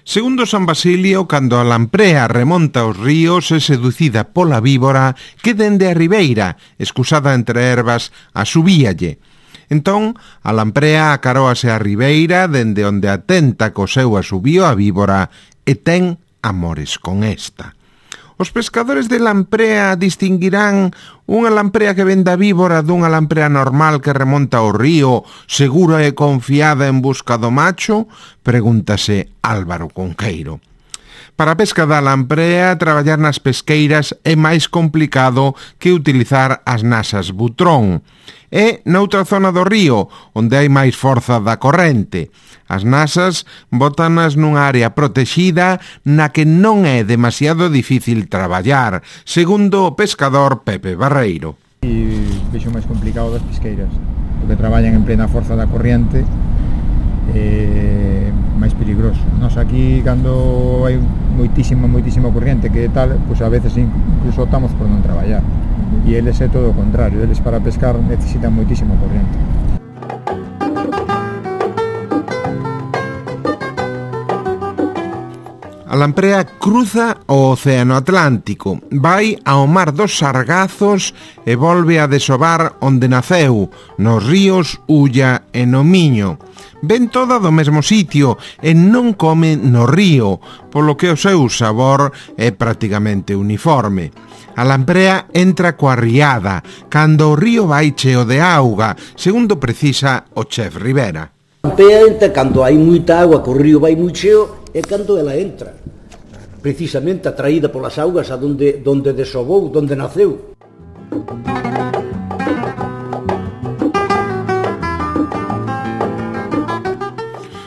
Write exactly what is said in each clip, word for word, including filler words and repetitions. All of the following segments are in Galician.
Segundo San Basilio, cando a lamprea remonta os ríos é seducida pola víbora que dende a ribeira, escusada entre ervas, a subíalle. Entón, a lamprea acaróase a ribeira dende onde atenta co seu asubío a víbora e ten amores con esta. Os pescadores de lamprea distinguirán unha lamprea que ven da víbora dunha lamprea normal que remonta ao río, segura e confiada en busca do macho? Pregúntase Álvaro Conqueiro. Para a pesca da lamprea, traballar nas pesqueiras é máis complicado que utilizar as nasas butrón. É noutra zona do río, onde hai máis forza da corrente. As nasas bótanas nunha área protexida na que non é demasiado difícil traballar, segundo o pescador Pepe Barreiro. E vexo máis complicado das pesqueiras, porque traballan en plena forza da corriente, é máis peligroso. Nos aquí, cando hai moitísima, moitísima corriente que tal, pois a veces incluso optamos por non traballar. E eles é todo o contrario, eles para pescar necesitan moitísima corriente. A lamprea cruza o Océano Atlántico, vai ao mar dos Sargazos e volve a desovar onde naceu, nos ríos Ulla e no Miño. Ven toda do mesmo sitio e non come no río, polo que o seu sabor é prácticamente uniforme. A lamprea entra coa riada, cando o río vai cheo de auga, segundo precisa o chef Rivera. A lamprea entra cando hai moita auga, que o río vai moi cheo, e cando ela entra, precisamente atraída polas augas a donde, donde desobou, donde naceu.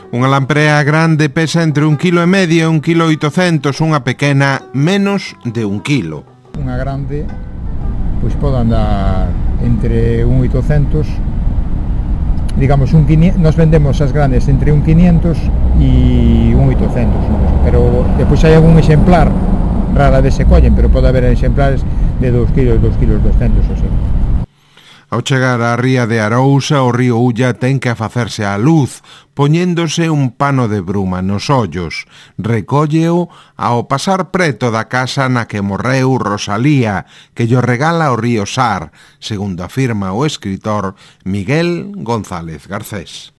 Unha lamprea grande pesa entre un quilo e medio e un quilo oitocentos, unha pequena menos de un quilo. Unha grande, pois pode andar entre un oitocentos, digamos, un quinientos, nos vendemos as grandes entre un quinientos e un oitocentos, pero depois hai algún exemplar, rara vez se collen, pero pode haber exemplares de dos kilos, dos kilos doscientos, ou sea. Ao chegar á ría de Arousa, o río Ulla ten que afacerse á luz, poñéndose un pano de bruma nos ollos. Recólleo ao pasar preto da casa na que morreu Rosalía, que llo regala o río Sar, segundo afirma o escritor Miguel González Garcés.